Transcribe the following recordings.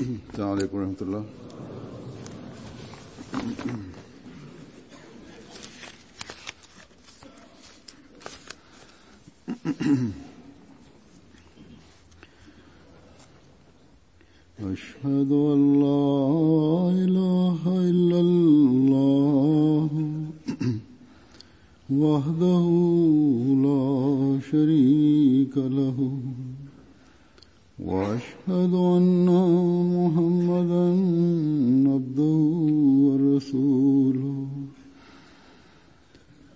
السلام عليكم ورحمة الله. أشهد أن لا إله إلا الله وحده لا شريك له وأشهد أن محمدا عبده ورسوله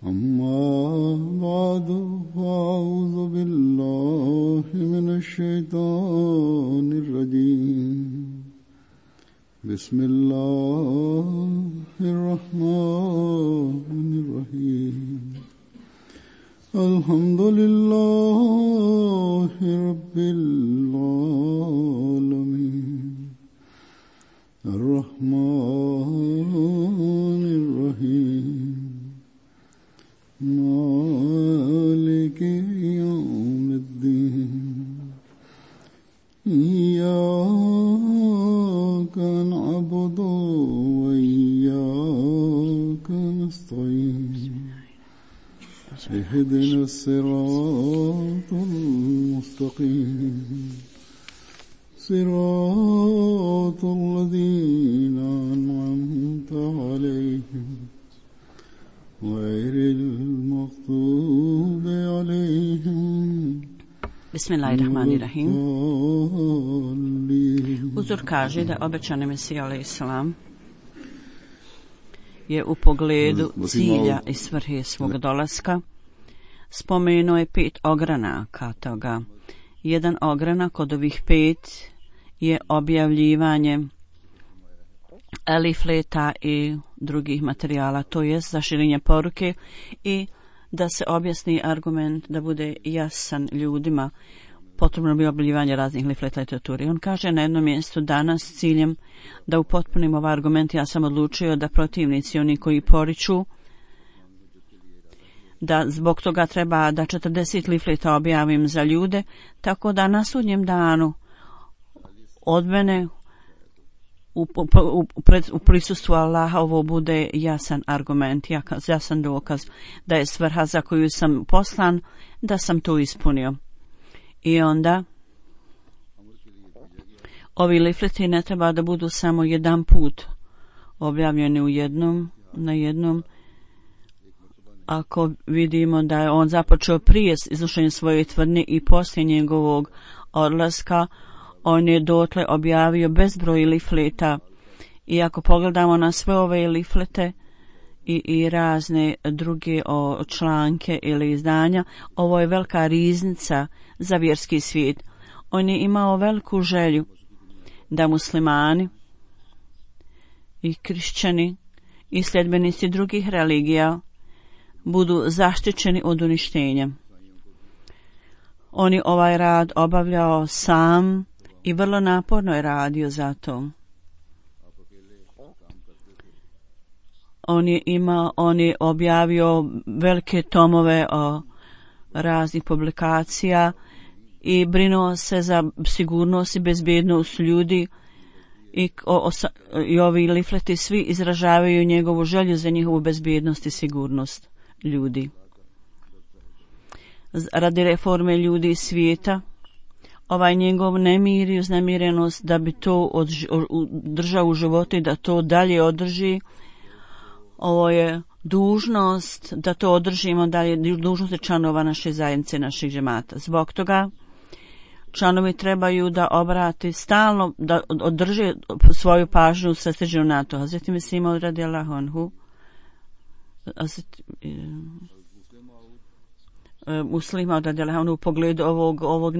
أما بعد فأعوذ بالله من الشيطان الرجيم بسم الله الرحمن الرحيم الحمد لله رب العالمين الرحمن الرحيم مالك يوم الدين إياك نعبد وإياك نستعين اهدنا الصراط المستقيم صراط الذين أنعمت عليهم غير المغضوب عليهم. Bismillahirrahmanirrahim. Uzor kaže da obećani Mesija alejselam je u pogledu cilja i svrhe svog dolaska spomenuo je 5 ogranaka toga. Jedan ogranak od ovih 5 je objavljivanje elifleta i drugih materijala, to jest za širenje poruke i da se objasni argument, da bude jasan ljudima. Potrebno bi objavljivanje raznih lifleta i literature. On kaže na jednom mjestu danas s ciljem da upotpunim ovaj argument, ja sam odlučio da protivnici, oni koji poriču da zbog toga treba da 40 lifleta objavim za ljude, tako da na sudnjem danu od mene u prisustvu Allaha ovo bude jasan argument, jasan dokaz da je svrha za koju sam poslan, da sam to ispunio. I onda ovi lifleti ne treba da budu samo jedan put objavljeni na jednom. Ako vidimo da je on započeo prije iznošenja svoje tvrdnje i poslije njegovog odlaska, on je dotle objavio bezbroj lifleta. I ako pogledamo na sve ove liflete i razne druge članke ili izdanja, ovo je velika riznica za vjerski svijet. On je imao veliku želju da muslimani i kršćani i sljedbenici drugih religija budu zaštićeni od uništenja. On je ovaj rad obavljao sam i vrlo naporno je radio za to. On je objavio velike tomove raznih publikacija i brinuo se za sigurnost i bezbednost ljudi i ovi lifleti svi izražavaju njegovu želju za njihovu bezbednost i sigurnost ljudi. Radi reforme ljudi i svijeta, ovaj njegov nemir i uznemirenost da bi to držao u životu i da to dalje održi, ovo je dužnost da to održimo dalje, dužnost članova naše zajednice, naših džemata. Zbog toga članovi trebaju da obrati stalno, da održe svoju pažnju usredsređenu na to. Hazreti Mesih radijallahu anhu, muslima radijallahu anhu u pogledu ovog ovog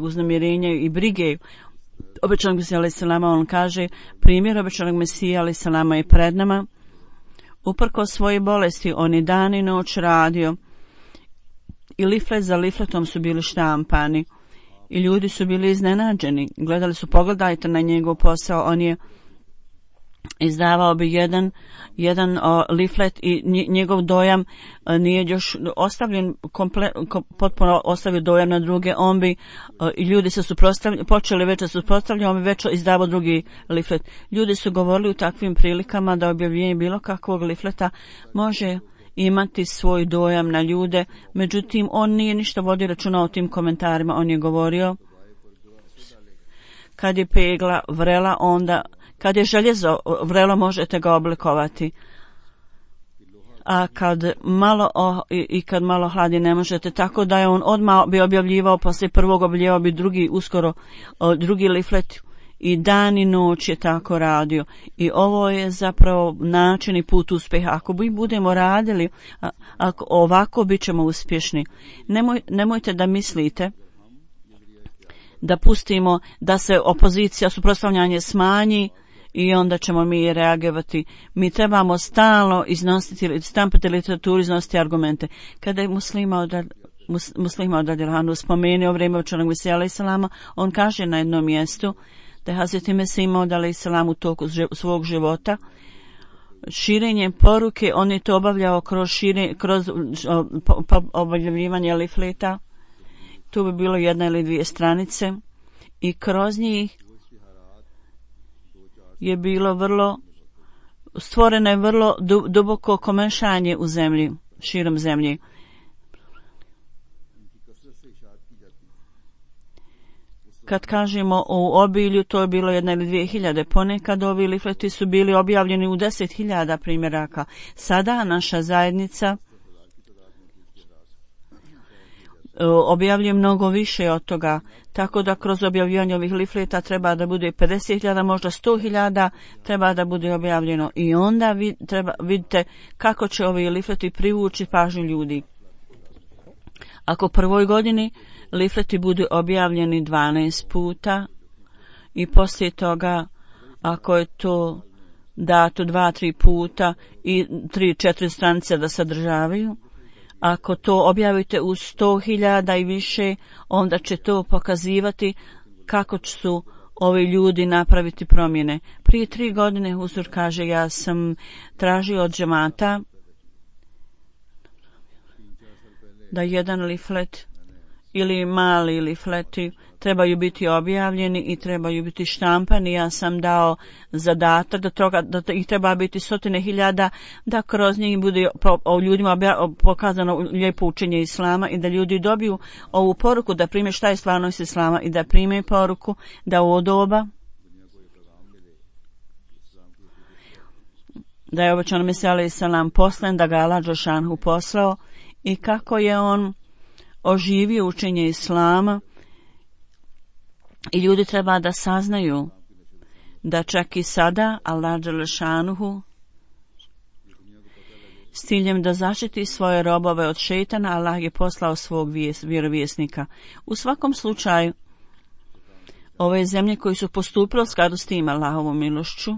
uznemirenja i brige obećanog Mesija alejselama, on kaže primjer obećanog Mesija alejselama je pred nama. Uprkos svoje bolesti on je dan i noć radio i liflet za lifletom su bili štampani i ljudi su bili iznenađeni. Pogledajte na njegov posao, on je izdavao bi jedan leaflet i njegov dojam nije još ostavljen potpuno ostavio dojam na druge, on bi i ljudi se počeli već da suprotstavljaju, on bi već izdavao drugi leaflet. Ljudi su govorili u takvim prilikama da objavljenje bilo kakvog leafleta može imati svoj dojam na ljude, međutim on nije ništa vodio računa o tim komentarima. On je govorio kad je pegla vrela, onda kad je željezo vrelo možete ga oblikovati, a kad malo kad malo hladi ne možete, tako da je on odmah bi objavljivao, poslije prvog objavljivao bi drugi leaflet i dan i noć je tako radio. I ovo je zapravo način i put uspjeha. Ako mi budemo radili ovako, bit ćemo uspješni. Nemojte da mislite da pustimo da se opozicija, suprotstavljanje smanji i onda ćemo mi reagirati. Mi trebamo stalno iznositi, stampati literaturu, iznositi argumente. Kada je Muslima od Adilhanu spomenuo vrijeme učenog Mesija alejhi selama, on kaže na jednom mjestu da je Hazreti Mesih Maud alejhi selam u toku svog života širenjem poruke, on je to obavljao kroz objavljivanje leafleta. Tu bi bilo 1 ili 2 stranice i kroz njih je bilo stvoreno je vrlo duboko komešanje u zemlji, širom zemlji. Kad kažemo o obilju, to je bilo 1 ili 2.000. Ponekad ovi leafleti su bili objavljeni u 10.000 primjeraka. Sada naša zajednica objavljuje mnogo više od toga, tako da kroz objavljivanje ovih leafleta treba da bude 50.000, možda 100.000 treba da bude objavljeno i onda vidite kako će ovi leafleti privući pažnju ljudi. Ako prvoj godini leafleti budu objavljeni 12 puta i poslije toga ako je to dato 2-3 puta i 3-4 stranice da sadržavaju, ako to objavite u 100.000 i više, onda će to pokazivati kako su ovi ljudi napraviti promjene. Prije 3 godine Huzur kaže, ja sam tražio od džemata da jedan leaflet ili mali leafleti trebaju biti objavljeni i trebaju biti štampani. Ja sam dao zadatak da ih treba biti 100.000, da kroz njih bude ljudima pokazano lijepo učenje Islama i da ljudi dobiju ovu poruku, da prime šta je stvarnost Islama i da prime poruku da u doba da je obećano Mesija alejhi selam poslan, da ga Allah dželešanu poslao i kako je on oživio učenje Islama. I ljudi treba da saznaju da čak i sada Allah dželešanu s ciljem da zaštiti svoje robove od šejtana, Allah je poslao svog vjerovjesnika. U svakom slučaju, ove zemlje koji su postupile u skladu s tim Allahovom milošću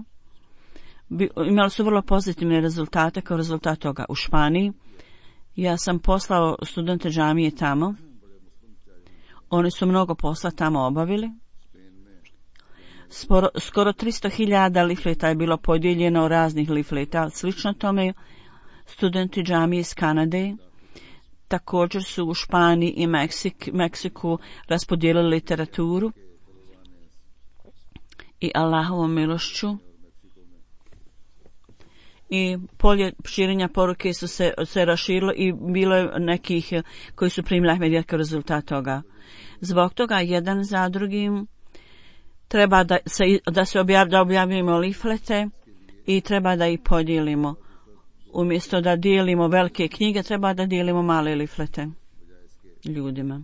imali su vrlo pozitivne rezultate. Kao rezultat toga u Španiji ja sam poslao studente džamije tamo. Oni su mnogo posla tamo obavili. Skoro 300.000 leafleta je bilo podijeljeno raznih leafleta. Slično tome studenti džamije iz Kanade također su u Španiji i Meksiku raspodijelili literaturu i Allahovom milošću i polje širenja poruke su se raširilo i bilo je nekih koji su primili Ahmedija kao rezultat toga. Zbog toga jedan za drugim treba da objavimo leaflete i treba da ih podijelimo. Umjesto da dijelimo velike knjige, treba da dijelimo male leaflete ljudima.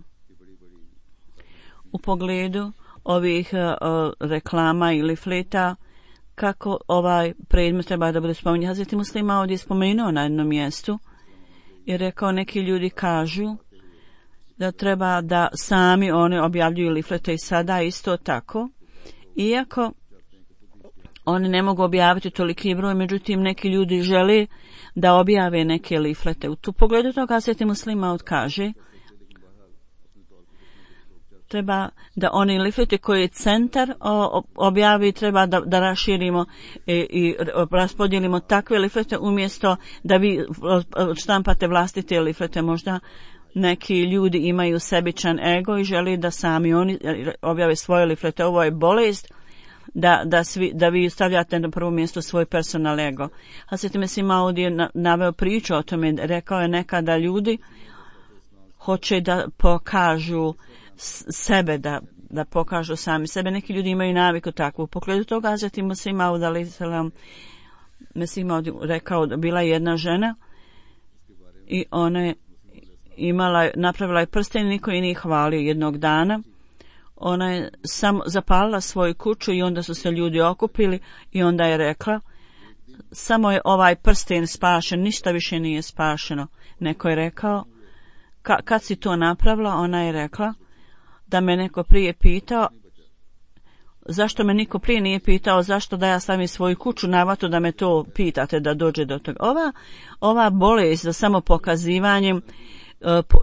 U pogledu ovih reklama i leafleta, kako ovaj predmet treba da bude spominjan. Hazreti Muslima ovdje je spomenuo na jednom mjestu i rekao, neki ljudi kažu da treba da sami oni objavljuju leaflete i sada isto tako. Iako oni ne mogu objaviti toliki broj, međutim neki ljudi žele da objave neke leaflete. U tu pogledu toga Hazreti Muslima kaže treba da oni lifleti koji je centar objavi, treba da raširimo i raspodijelimo takve liflete umjesto da vi štampate vlastite liflete. Možda neki ljudi imaju sebičan ego i želi da sami oni objave svoje liflete. Ovo je bolest da vi stavljate na prvo mjesto svoj personal ego. Hazret Mesih Maud je naveo priču o tome, rekao je nekada ljudi hoće da pokažu sebe, da pokažu sami sebe. Neki ljudi imaju naviku takvu. U pogledu toga Hazret Mesih Maud rekao da bila jedna žena i ona je napravila je prsten, niko je nije hvalio. Jednog dana ona je samo zapalila svoju kuću i onda su se ljudi okupili i onda je rekla samo je ovaj prsten spašen, ništa više nije spašeno. Neko je rekao kad si to napravila? Ona je rekla da me neko prije pitao, zašto me niko prije nije pitao, zašto da ja stavim svoju kuću na vatru, da me to pitate da dođe do toga. Ova bolest za samo pokazivanjem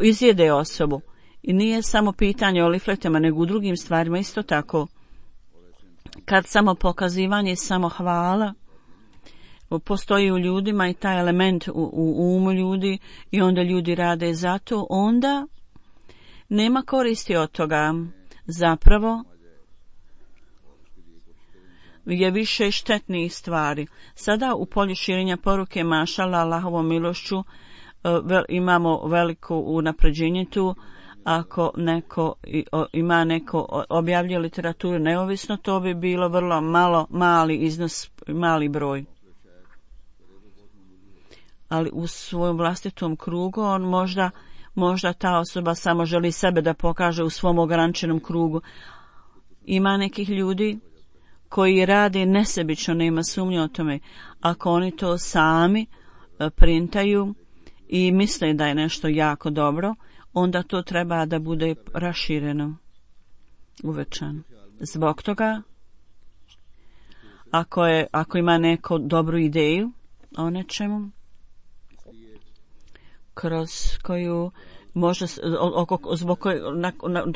izjede osobu. I nije samo pitanje o lifletama, nego u drugim stvarima isto tako. Kad samo pokazivanje i samo hvala postoji u ljudima i taj element u umu ljudi i onda ljudi rade zato, onda nema koristi od toga. Zapravo je više štetnih stvari. Sada u polju širenja poruke mašala Allahovom milošću imamo veliko unapređenje tu. Ako ima neko objavljuje literaturu neovisno, to bi bilo vrlo mali iznos, mali broj. Ali u svojom vlastitom krugu on možda ta osoba samo želi sebe da pokaže u svom ograničenom krugu. Ima nekih ljudi koji rade nesebično, nema sumnje o tome. Ako oni to sami printaju i misle da je nešto jako dobro, onda to treba da bude rašireno, uvećano. Zbog toga, ako ima neko dobru ideju o nečemu, kroz koju može, zbog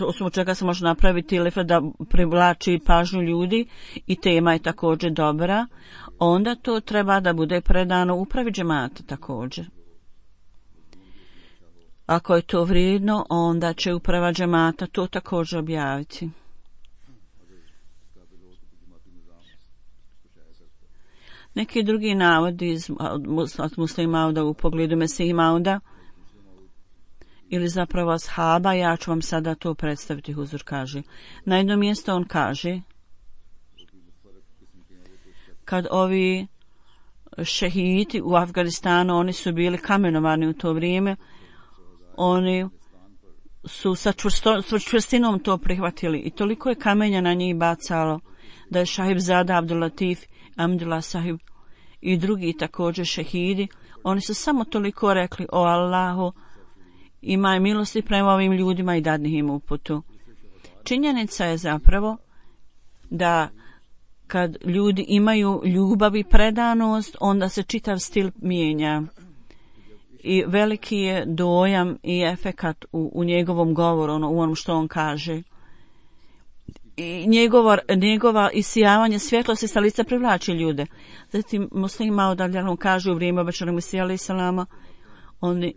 osnovu čega se može napraviti liflet da privlači pažnju ljudi i tema je također dobra, onda to treba da bude predano upravi džemata također. Ako je to vrijedno, onda će uprava džemata to također objaviti. Neki drugi navodi iz Muslima Mauda u pogledu Mesih Mauda ili zapravo ashaba, ja ću vam sada to predstaviti. Huzur kaže. Na jedno mjesto on kaže, kad ovi šehidi u Afganistanu, oni su bili kamenovani u to vrijeme, oni su sa čvrstinom to prihvatili i toliko je kamenja na njih bacalo da je Šahib Zada Abdul Latif, Amdullah Sahib i drugi također šehidi, oni su samo toliko rekli: o Allahu, imaj milosti prema ovim ljudima i dadni im uputu. Činjenica je zapravo da kad ljudi imaju ljubav i predanost, onda se čitav stil mijenja. I veliki je dojam i efekat u njegovom govoru, u onom što on kaže. I njegova isijavanje svjetlosti sa lica privlači ljude. Zatim Muslima odavljano kaže u vrijeme obećanog Mesija alaih salama, on je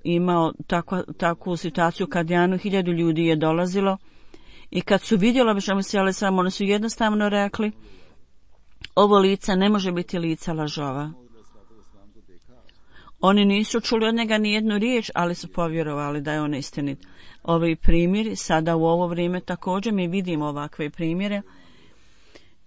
imao takvu situaciju kad 1000 ljudi je dolazilo i kad su vidjeli obećanog Mesija alaih salama, oni su jednostavno rekli: ovo lice ne može biti lica lažova. Oni nisu čuli od njega ni jednu riječ, ali su povjerovali da je on istinit. Ovi primjeri, sada u ovo vrijeme također mi vidimo ovakve primjere.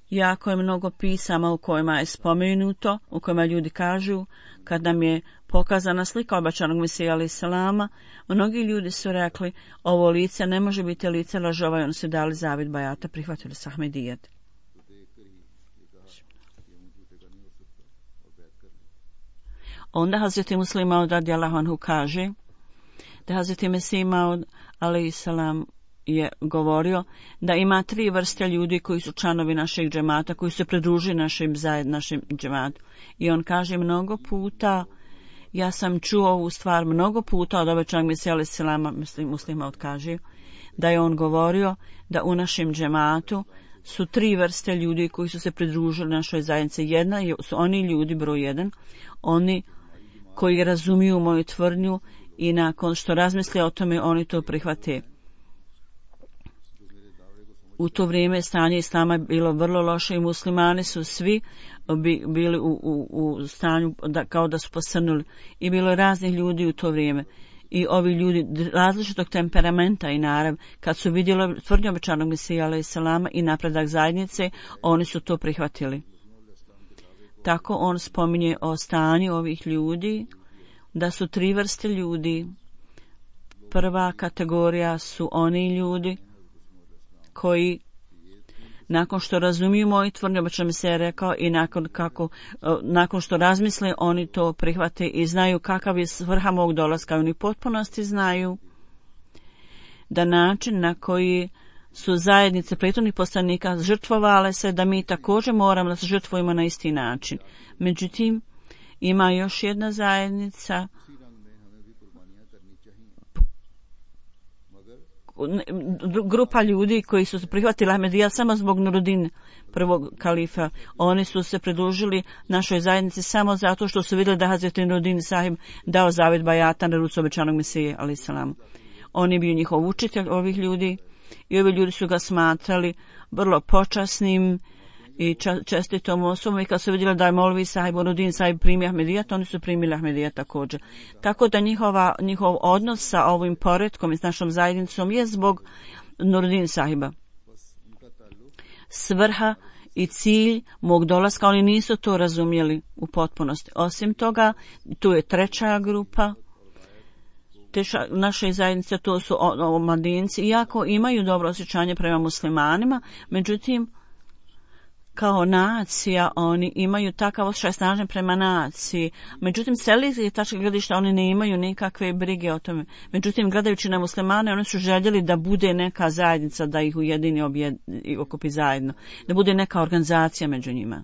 Jako je mnogo pisama u kojima je spomenuto, u kojima ljudi kažu, kad nam je pokazana slika obećanog Mesija alaih salama, mnogi ljudi su rekli: ovo lice ne može biti lice lažova, i oni su dali zavid bajata, prihvatili su Ahmedijet. Onda Hazreti Muslima Maud radijallahu anhu kaže da Hazreti Mesih Maud alaih salam je govorio da ima 3 vrste ljudi koji su članovi našeg džemata, koji se pridružuju našem džematu. I on kaže mnogo puta Ja sam čuo ovu stvar mnogo puta od obećanog Mesija alejhi selama, muslima odkaže, da je on govorio da u našem džematu su 3 vrste ljudi koji su se pridružili našoj zajednici. Jedna su oni ljudi, broj 1, oni koji razumiju moju tvrdnju i nakon što razmisle o tome, oni to prihvate. U to vrijeme stanje islama je bilo vrlo loše i muslimani su svi bili u stanju kao da su posrnuli. I bilo je raznih ljudi u to vrijeme. I ovi ljudi različitog temperamenta i narav, kad su vidjeli tvrdnju obećanog Mesija alejhi selama i napredak zajednice, oni su to prihvatili. Tako on spominje o stanju ovih ljudi, da su 3 vrste ljudi. Prva kategorija su oni ljudi koji nakon što razumiju moju tvrdnju, obećanog Mesija rekao, i nakon što razmisle, oni to prihvate i znaju kakav je svrha mog dolaska. Oni potpunosti znaju da način na koji su zajednice prethodnih poslanika žrtvovale se, da mi također moramo da se žrtvujemo na isti način. Međutim, ima još jedna zajednica grupa ljudi koji su prihvatili Ahmedijat samo zbog Nuruddin, prvog kalifa. Oni su se pridružili našoj zajednici samo zato što su vidjeli da Hazreti Nuruddin sahib dao zavet bajata na ruci obećanog Mesije alejhi selam. On je bio njihov učitelj ovih ljudi i ovi ljudi su ga smatrali vrlo počasnim i čestitom osobom, i kad su vidjeli da je Molvi sahib Nuruddin sahib primio Ahmedijat, oni su primili Ahmedijat također. Tako da njihov odnos sa ovim poretkom i s našom zajednicom je zbog Nuruddin sahiba. Svrha i cilj mog dolaska, oni nisu to razumjeli u potpunosti. Osim toga, tu je 3. grupa naše zajednice, to su omladinci, iako imaju dobro osjećanje prema muslimanima, međutim, kao nacija oni imaju takav osjećaj snažan prema naciji. Međutim, s religijske tačke gledišta oni ne imaju nikakve brige o tome. Međutim, gledajući na muslimane, oni su željeli da bude neka zajednica, da ih ujedini i okupi zajedno, da bude neka organizacija među njima.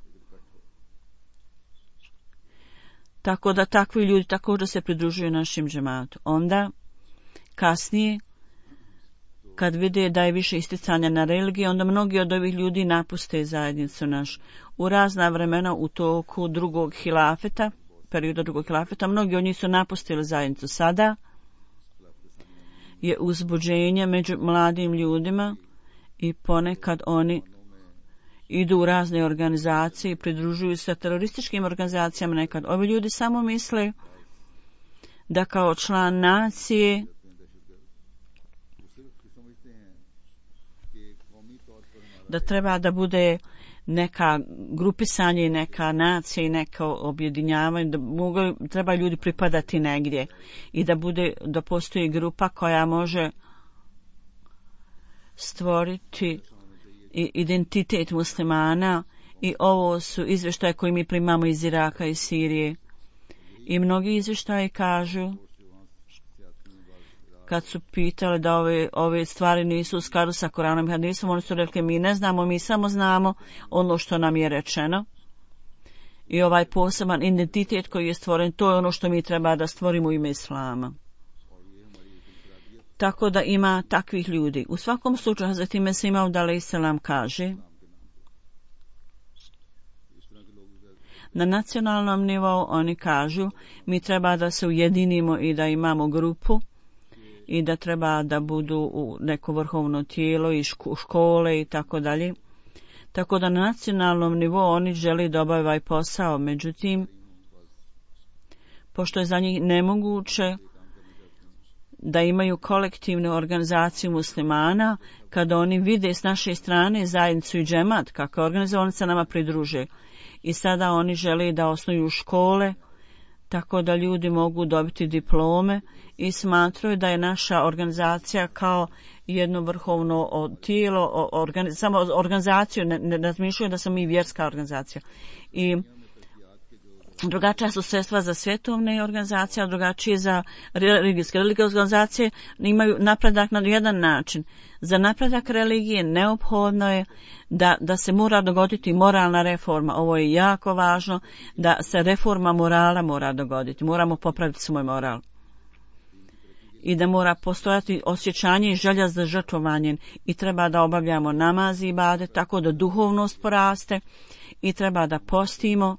Tako da takvi ljudi također se pridružuju našim džematu. Onda, kasnije, kad vide da je više isticanja na religiju, onda mnogi od ovih ljudi napuste zajednicu naš. U razna vremena u toku drugog hilafeta, perioda drugog hilafeta, mnogi od njih su napustili zajednicu. Sada je uzbuđenje među mladim ljudima i ponekad oni idu u razne organizacije i pridružuju se terorističkim organizacijama nekad. Ovi ljudi samo misle da kao član nacije da treba da bude neka grupisanje i neka nacija i neko objedinjavanje, da treba ljudi pripadati negdje i da postoji grupa koja može stvoriti identitet muslimana. I ovo su izvještaje koje mi primamo iz Iraka i Sirije. I mnogi izvještaji kažu, kad su pitali da ove stvari nisu u skladu sa Koranom i hadisom, oni su rekli mi ne znamo, mi samo znamo ono što nam je rečeno. I ovaj poseban identitet koji je stvoren, to je ono što mi treba da stvorimo u ime Islama. Tako da ima takvih ljudi. U svakom slučaju, Hazreti Mesih Maud alejhi selam kaže, na nacionalnom nivou oni kažu, mi treba da se ujedinimo i da imamo grupu i da treba da budu u neko vrhovno tijelo i škole i tako dalje. Tako da na nacionalnom nivou oni žele da obave ovaj posao. Međutim, pošto je za njih nemoguće da imaju kolektivnu organizaciju muslimana, kada oni vide s naše strane zajednicu i džemat, kako je organizovan, se nama pridruže. I sada oni žele da osnuju škole, tako da ljudi mogu dobiti diplome i smatraju da je naša organizacija kao jedno vrhovno tijelo, samo organizaciju, ne razmišljaju da smo mi vjerska organizacija. I drugačija su sredstva za svjetovne organizacije, a drugačije za religijske. Religijske organizacije imaju napredak na jedan način. Za napredak religije neophodno je da se mora dogoditi moralna reforma. Ovo je jako važno, da se reforma morala mora dogoditi. Moramo popraviti svoj moral. I da mora postojati osjećanje i želja za žrtvovanjem. I treba da obavljamo namaz i ibadet tako da duhovnost poraste. I treba da postimo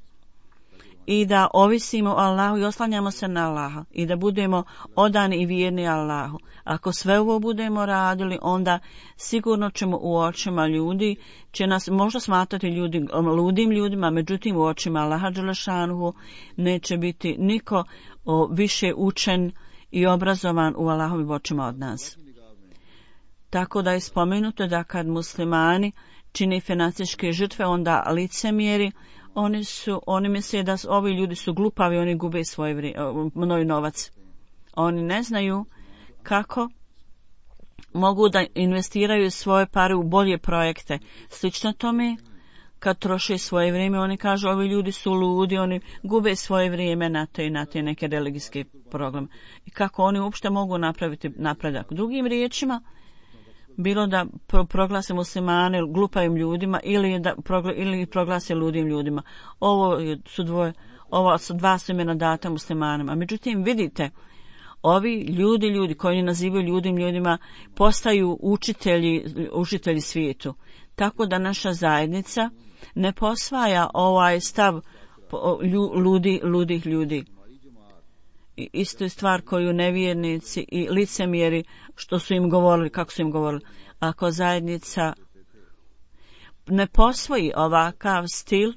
i da ovisimo o Allahu i oslanjamo se na Allaha i da budemo odani i vjerni Allahu. Ako sve ovo budemo radili, onda sigurno ćemo u očima ljudi, će nas možda smatrati ludim ljudima, međutim u očima Allaha dželešanuhu neće biti niko više učen i obrazovan u Allahovim očima od nas. Tako da je spomenuto da kad muslimani čini financijske žrtve, onda licemjeri, oni misle da ovi ljudi su glupavi, oni gube svoj novac. Oni ne znaju kako mogu da investiraju svoje pare u bolje projekte. Slično tome, kad troše svoje vrijeme, oni kažu ovi ljudi su ludi, oni gube svoje vrijeme na te neke religijske programe. I kako oni uopšte mogu napraviti napredak. Drugim riječima, bilo da proglase muslimane glupavim ljudima ili proglase ludim ljudima. Ovo su dva imena data muslimanima. Međutim, vidite, ovi ljudi koji nazivaju ludim ljudima postaju učitelji svijetu. Tako da naša zajednica ne posvaja ovaj stav ludih ljudi. I isto je stvar koju nevjernici i licemjeri što su im govorili, kako su im govorili. Ako zajednica ne posvoji ovakav stil,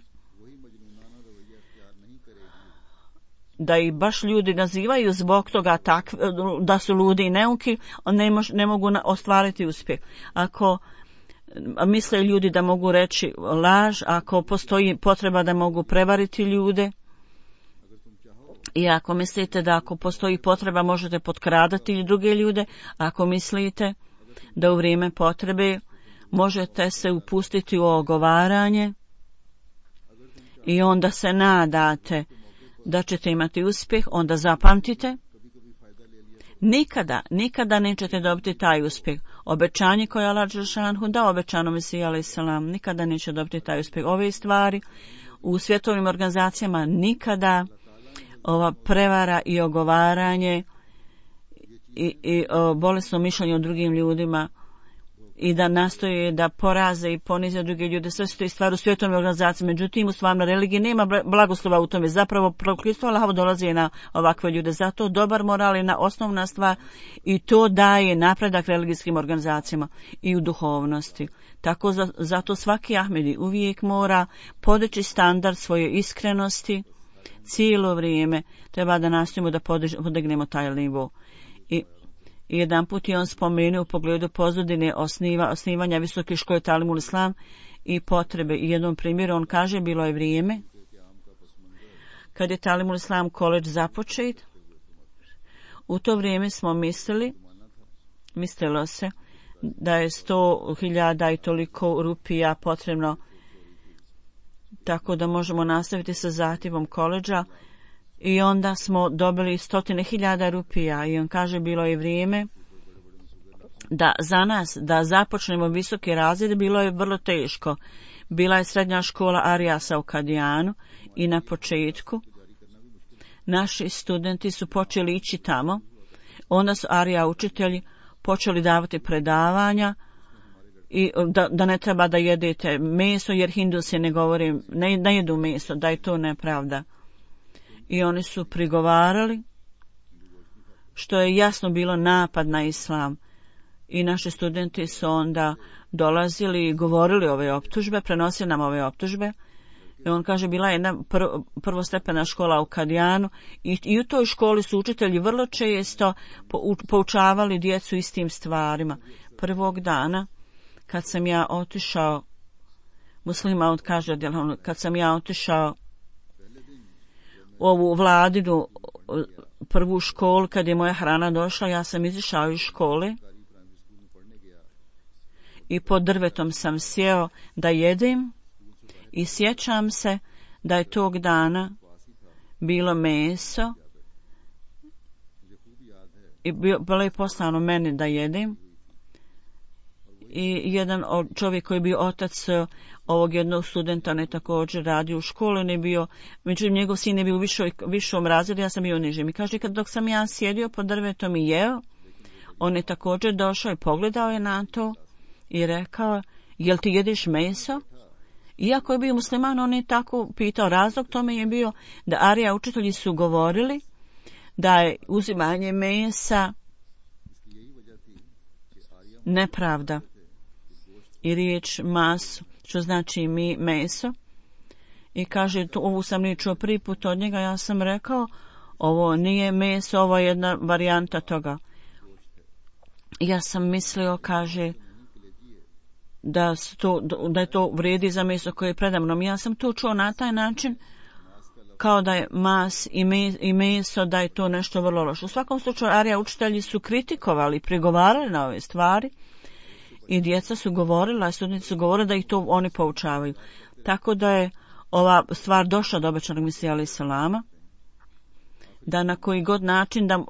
da ih baš ljudi nazivaju zbog toga da su ludi i neuki, ne mogu ostvariti uspjeh. Ako misle ljudi da mogu reći laž, ako postoji potreba da mogu prevariti ljude, i ako mislite da ako postoji potreba možete potkradati druge ljude, ako mislite da u vrijeme potrebe možete se upustiti u ogovaranje i onda se nadate da ćete imati uspjeh, onda zapamtite, nikada nećete dobiti taj uspjeh. Obećanje koje Allah dželešanuhu dao obećanom Mesiji alejhi selam, nikada neće dobiti taj uspjeh. Ove stvari u svjetovnim organizacijama nikada ova prevara i ogovaranje i bolesno mišljenje o drugim ljudima i da nastoje da poraze i ponize druge ljude, sve su te stvari u svjetovnoj organizaciji. Međutim, u stvarnoj religiji nema blagoslova u tome. Zapravo, prokletstvo Allahovo dolazi na ovakve ljude. Zato dobar moral je osnovna stvar i to daje napredak religijskim organizacijama i u duhovnosti. Tako zato svaki Ahmedi uvijek mora podići standard svoje iskrenosti. Cijelo vrijeme treba da nastojimo da podignemo taj nivo. I jedan put je on spomenuo u pogledu pozadine osnivanja visoke škole Talimul Islam i potrebe. I jednom primjeru on kaže, bilo je vrijeme kad je Talimul Islam koledž započet. U to vrijeme smo mislilo se da je 100.000 i toliko rupija potrebno tako da možemo nastaviti sa zahtjevom koledža i onda smo dobili 100.000 rupija i on kaže bilo je vrijeme da za nas da započnemo visoke razrede, bilo je vrlo teško. Bila je srednja škola Arijasa u Kadijanu i na početku naši studenti su počeli ići tamo, onda su Arija učitelji počeli davati predavanja i da ne treba da jedete meso jer Hindusi ne jedu meso, da je to nepravda. I oni su prigovarali što je jasno bilo napad na islam. I naši studenti su onda dolazili i govorili ove optužbe, prenosili nam ove optužbe. I on kaže bila je jedna prvostepena škola u Kadijanu i u toj školi su učitelji vrlo često poučavali djecu istim stvarima. Prvog dana kad sam ja otišao, muslima kaže, kad sam ja otišao u ovu vladinu prvu školu, kad je moja hrana došla, ja sam izišao iz škole i pod drvetom sam sjeo da jedem i sjećam se da je tog dana bilo meso i bilo je poslano meni da jedem. I jedan čovjek koji je bio otac ovog jednog studenta, on je također radio u školi, on je bio, međutim njegov sin je bio u višom razredu, ja sam bio nižim. I kaže, dok sam ja sjedio pod drvetom i jeo, on je također došao i pogledao je na to i rekao, jel ti jedeš meso? Iako je bio musliman, on je tako pitao. Razlog tome je bio da Arija učitelji su govorili da je uzimanje mesa nepravda. I riječ masu, što znači meso. I kaže, ovu sam nije čuo prvi put od njega, ja sam rekao, ovo nije meso, ovo je jedna varijanta toga. Ja sam mislio, kaže, da je to vrijedi za meso koje je predamnom. Ja sam to čuo na taj način, kao da je mas i meso, da je to nešto vrlo loše. U svakom slučaju, Arija učitelji su kritikovali, prigovarali na ove stvari i djeca su govorila, studenti su govorili da ih to oni poučavaju. Tako da je ova stvar došla do obećanog Mesija alejhi selama, da na koji god način da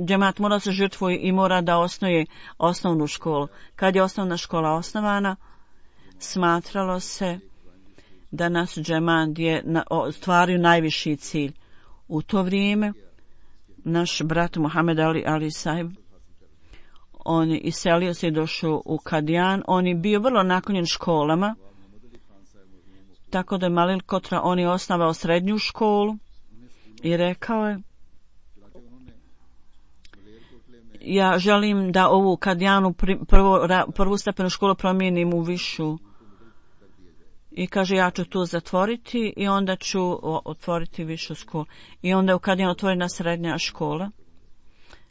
džemat mora se žrtvuje i mora da osnuje osnovnu školu. Kad je osnovna škola osnovana, smatralo se da nas džemat je stvaraju najviši cilj. U to vrijeme naš brat Muhammed Ali Sahib, on je iselio se i došao u Kadijan, on je bio vrlo naklonjen školama, tako da je Malil Kotra, on je osnovao srednju školu i rekao je, ja želim da ovu Kadijanu prvu stepenu školu promijenim u višu. I kaže, ja ću tu zatvoriti i onda ću otvoriti višu školu. I onda je u Kadijanu otvorena srednja škola.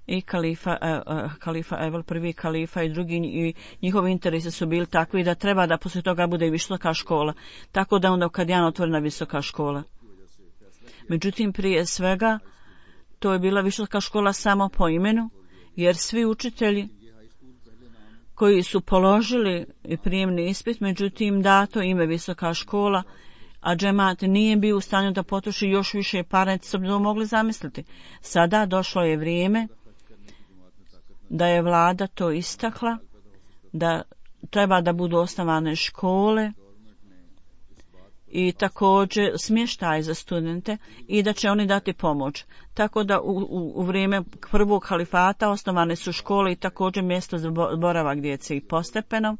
I kalifa Evel, prvi kalifa i drugi, i njihovi interesi su bili takvi da treba da poslije toga bude i visoka škola. Tako da onda u Kadijanu otvorena visoka škola. Međutim, prije svega, to je bila visoka škola samo po imenu, jer svi učitelji koji su položili prijemni ispit, međutim dato ime visoka škola, a džemat nije bio u stanju da potroši još više para, su bi mogli zamisliti. Sada došlo je vrijeme da je vlada to istakla, da treba da budu osnovane škole i također smještaj za studente i da će oni dati pomoć. Tako da u vrijeme prvog halifata osnovane su škole i također mjesto za boravak djece i postepeno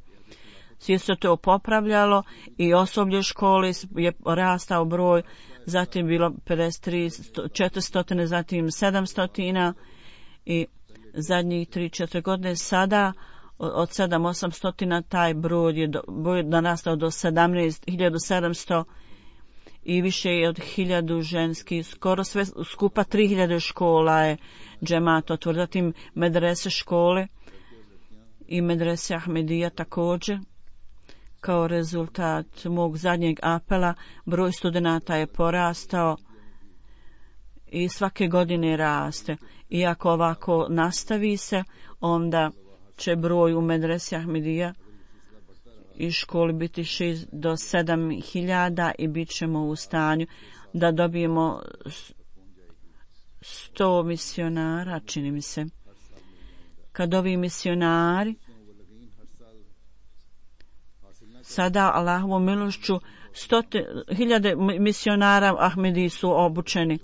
sve se to popravljalo i osoblje škole je rastao broj, zatim bilo 53, 400, zatim 700 i zadnjih 3-4 godine sada od 700-800 taj broj je narastao do 17.700 i više je od 1000 ženskih, skoro sve skupa 3000 škola je džemat otvorio, zatim medrese škole i medrese Ahmedija također. Kao rezultat mog zadnjeg apela broj studenata je porastao i svake godine raste. I ako ovako nastavi se, onda će broj u medresi Ahmedija i školi biti 6 do 7.000 i bit ćemo u stanju da dobijemo 100 misionara, čini mi se. Kad ovi misionari sada Allahovom milošću 100.000 misionara Ahmedi su obučeni,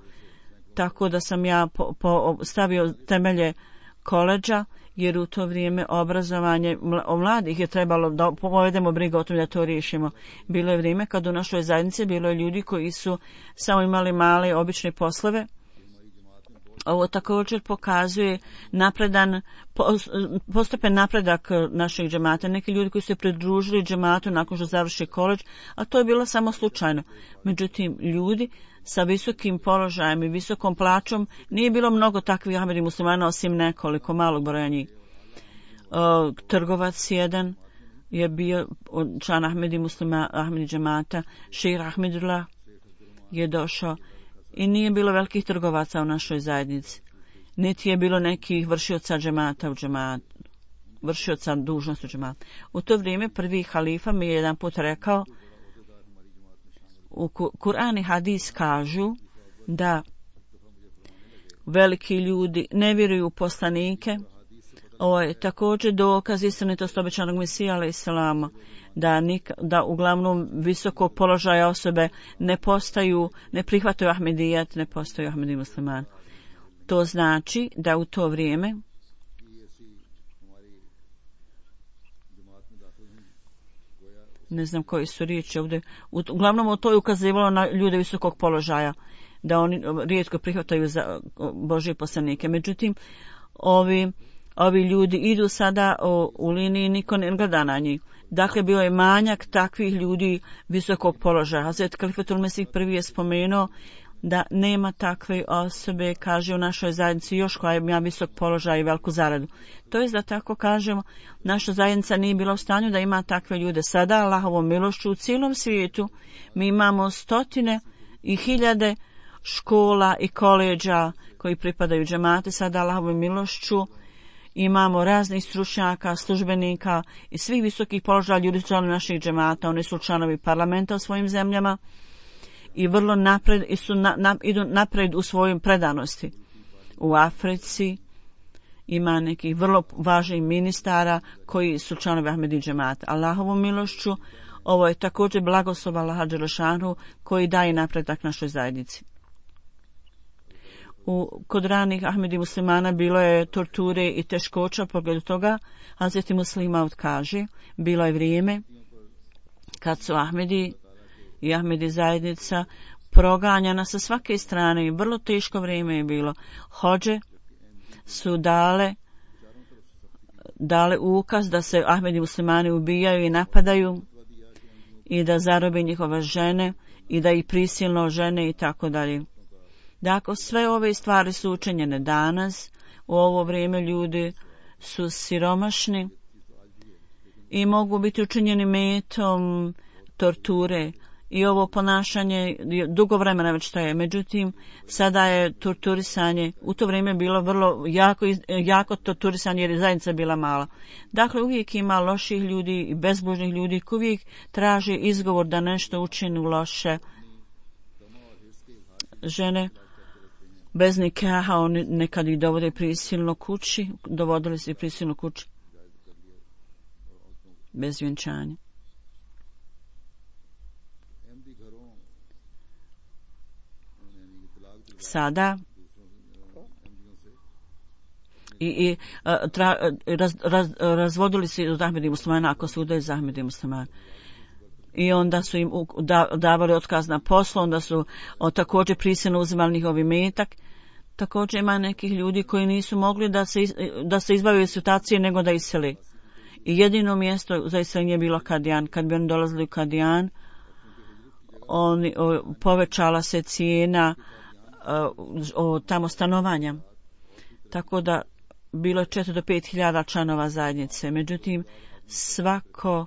tako da sam ja stavio temelje koledža, jer u to vrijeme obrazovanje mladih je trebalo da povedemo brigu o tom da to riješimo. Bilo je vrijeme kad u našoj zajednici bilo je ljudi koji su samo imali male obične poslove. Ovo također pokazuje postepen napredak našeg džemata. Neki ljudi koji su se pridružili džematu nakon što završi koledž, a to je bilo samo slučajno. Međutim, ljudi sa visokim položajem i visokom plaćom, nije bilo mnogo takvih Ahmedi muslimana osim nekoliko malog broja njih. Trgovac jedan je bio član Ahmedi džemata, Šejh Ahmedullah je došao i nije bilo velikih trgovaca u našoj zajednici. Niti je bilo nekih vršioca džemata u džematu, vršioca dužnosti u džematu. U to vrijeme prvi halifa mi je jedan put rekao, u Kur'an i hadis kažu da veliki ljudi ne vjeruju u poslanike. Ovo je također dokaz istinitosti obećanog Mesija alejselama, da uglavnom visokog položaja osobe ne prihvataju Ahmedijat, ne postaju Ahmedi muslimani. To znači da u to vrijeme ne znam koji su riječi ovdje, uglavnom to je ukazivalo na ljude visokog položaja, da oni rijetko prihvataju za Božje poslanike. Međutim, ovi ljudi idu sada u liniji, niko ne gleda na njih. Dakle, bio je manjak takvih ljudi visokog položaja. Hazret Kalifatul Mesih prvi je spomenuo da nema takve osobe, kaže, u našoj zajednici još koja ima visok položaj i veliku zaradu. To je da tako kažemo, naša zajednica nije bila u stanju da ima takve ljude. Sada, Allahovom milošću, u cijelom svijetu mi imamo stotine i hiljade škola i koleđa koji pripadaju džemate. Sada, Allahovom milošću, imamo raznih stručnjaka, službenika i svih visokih položaja ljudi su članovi naših džemata. Oni su članovi parlamenta u svojim zemljama i vrlo idu napred u svojim predanosti. U Africi ima nekih vrlo važnih ministara koji su članovi Ahmedi džemata. Allahovom milošću, ovo je također blagoslov Allaha dželešanu koji daje napredak našoj zajednici. Kod ranih Ahmedi muslimana bilo je torture i teškoća u pogledu toga. Hazret Muslima kaže, bilo je vrijeme kad su Ahmedi i Ahmedi zajednica proganjana sa svake strane i vrlo teško vrijeme je bilo. Hođe su dale ukaz da se Ahmedi muslimani ubijaju i napadaju i da zarobe njihove žene i da ih prisilno žene i tako dalje. Dakle, sve ove stvari su učinjene danas. U ovo vrijeme ljudi su siromašni i mogu biti učinjeni metom torture. I ovo ponašanje dugo vremena već traje. Međutim, sada je torturisanje u to vrijeme bilo vrlo jako torturisanje jer je zajednica bila mala. Dakle, uvijek ima loših ljudi i bezbožnih ljudi koji uvijek traže izgovor da nešto učinu loše. Žene bez nikaha, oni nekad ih dovodili prisilno kući, bez vjenčanja. Sada razvodili se od Ahmedi muslimana ako se udaju za Ahmedi muslimana. I onda su im davali otkaz na poslu, onda su također prisilno uzimali njihov imetak. Također ima nekih ljudi koji nisu mogli da se izbave iz situacije nego da iseli. I jedino mjesto za iseljenje je bilo Kadijan. Kad bi oni dolazili u Kadijan, povećala se cijena tamo stanovanja. Tako da bilo je 4 do 5 hiljada članova zajednice. Međutim, svako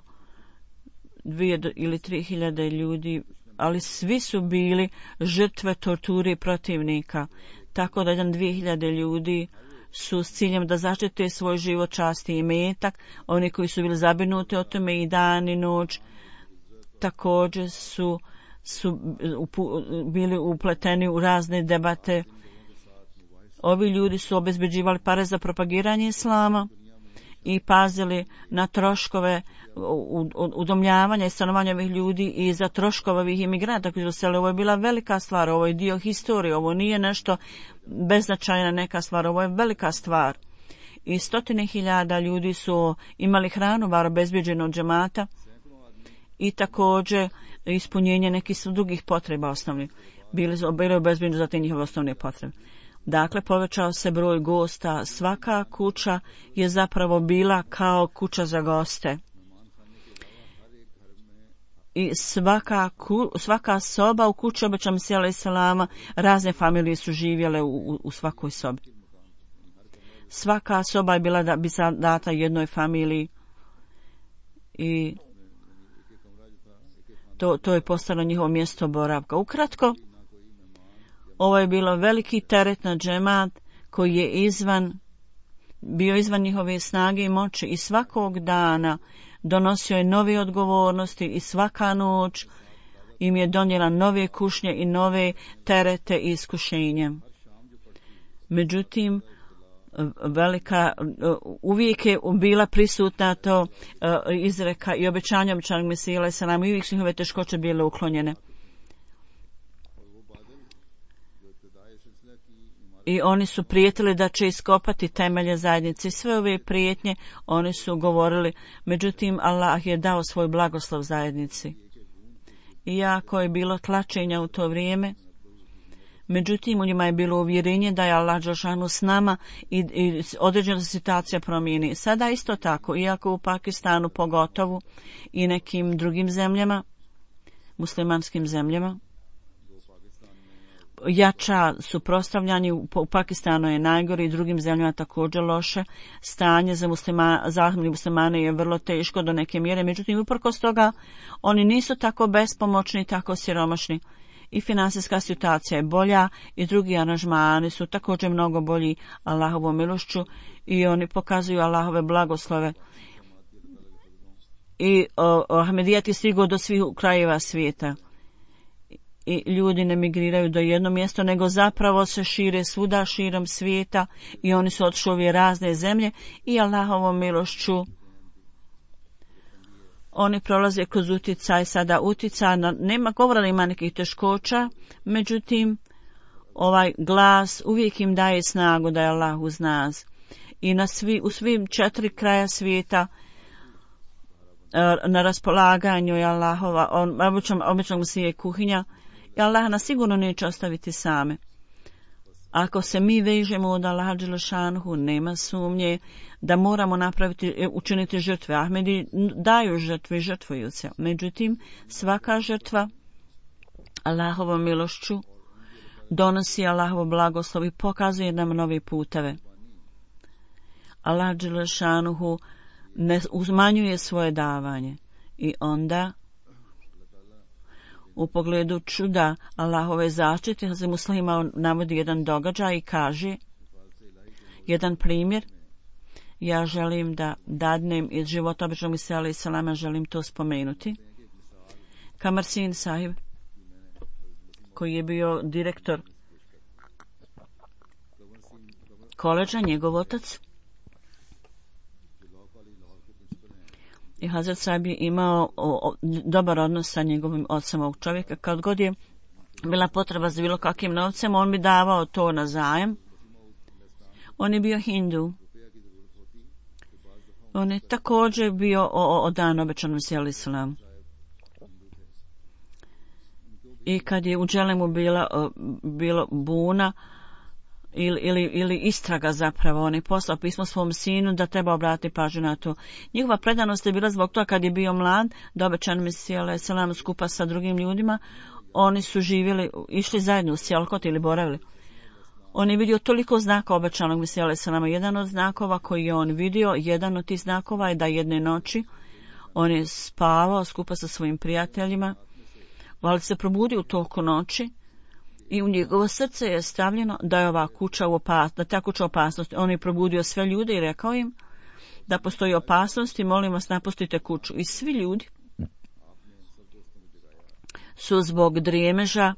2 ili 3 hiljade ljudi, ali svi su bili žrtve torture protivnika. Tako da 2.000 ljudi su s ciljem da zaštite svoj život, čast i imetak. Oni koji su bili zabrinuti o tome i dan i noć također su bili upleteni u razne debate. Ovi ljudi su obezbeđivali pare za propagiranje islama i pazili na troškove udomljavanja i stanovanja ovih ljudi i za troškove ovih imigranta koji su seli. Ovo je bila velika stvar, ovo je dio historije, ovo nije nešto beznačajna neka stvar, ovo je velika stvar. I 100.000 ljudi su imali hranu, bar obezbeđenu od džemata i također ispunjenje nekih drugih potreba osnovnih. Bili obezbeđeni za te njihove osnovne potrebe. Dakle, povećao se broj gosta. Svaka kuća je zapravo bila kao kuća za goste. I svaka soba u kući obećanog Mesija alejselama, razne familije su živjele u svakoj sobi. Svaka soba je bila da bi data jednoj familiji i to je postalo njihovo mjesto boravka. Ukratko, ovo je bilo veliki teret na džemat koji je bio izvan njihove snage i moći i svakog dana donosio je nove odgovornosti i svaka noć im je donijela nove kušnje i nove terete i iskušenje. Međutim, uvijek je bila prisutna to izreka i obećanja obećanog Mesija alejhi selam, i uvijek su njihove teškoće bile uklonjene. I oni su prijetili da će iskopati temelje zajednice. Sve ove prijetnje oni su govorili, međutim Allah je dao svoj blagoslov zajednici. Iako je bilo tlačenja u to vrijeme, međutim u njima je bilo uvjerenje da je Allah dželešanu s nama i određena situacija promijeni. Sada isto tako, iako u Pakistanu pogotovo i nekim drugim zemljama, muslimanskim zemljama, jača suprotstavljanje, u Pakistanu je najgore i drugim zemljama također loše. Stanje za muslimane je vrlo teško do neke mjere, međutim uprkos toga oni nisu tako bespomoćni, tako siromašni. I finansijska situacija je bolja i drugi aranžmani su također mnogo bolji Allahovom milošću i oni pokazuju Allahove blagoslove. I Ahmedijat je stigao do svih krajeva svijeta. I ljudi ne migriraju do jedno mjesto, nego zapravo se šire svuda širom svijeta i oni su otišli u razne zemlje i Allahovom milošću oni prolaze kroz uticaj, sada uticaj, nema govora da ima nekih teškoća, međutim ovaj glas uvijek im daje snagu da je Allah uz nas. I u svim 4 kraja svijeta na raspolaganju je Allahova, obično se je kuhinja i Allah nas sigurno neće ostaviti same. Ako se mi vežemo od Allaha dželešanhu, nema sumnje da moramo učiniti žrtve. Ahmedi daju žrtve i žrtvuju se. Međutim, svaka žrtva Allahovom milošću donosi Allahovo blagoslov i pokazuje nam nove puteve. Allah dželešanhu ne uzmanjuje svoje davanje i onda u pogledu čuda Allahove zaštite Hazret Muslima navodi jedan događaj i kaže jedan primjer. Ja želim da dadnem iz života običnog Mesija alejhi selama, želim to spomenuti. Kamar Sin sahib, koji je bio direktor koledža, njegov otac, i Hazret sahib je imao dobar odnos sa njegovim ocem ovog čovjeka. Kad god je bila potreba za bilo kakvim novcem, on bi davao to na zajam. On je bio Hindu. On je također bio odan obećanom Mesiju alejhi selam. I kad je u Dželemu bilo buna ili istraga zapravo, on je poslao pismo svom sinu da treba obratiti pažnju na to. Njihova predanost je bila zbog toga kad je bio mlad, da obećan Mesija alejhi selam skupa sa drugim ljudima, oni su živjeli, išli zajedno u Sijalkot ili boravili. On je vidio toliko znaka obećanog Mesija alejhi selama. Jedan od znakova koji je on vidio, jedan od tih znakova je da jedne noći on je spavao skupa sa svojim prijateljima, ali se probudio u toku noći i u njegovo srce je stavljeno da je ova kuća u opasnosti, da ta kuća u opasnosti. On je probudio sve ljude i rekao im da postoji opasnost i molim vas napustite kuću. I svi ljudi su zbog drijemeža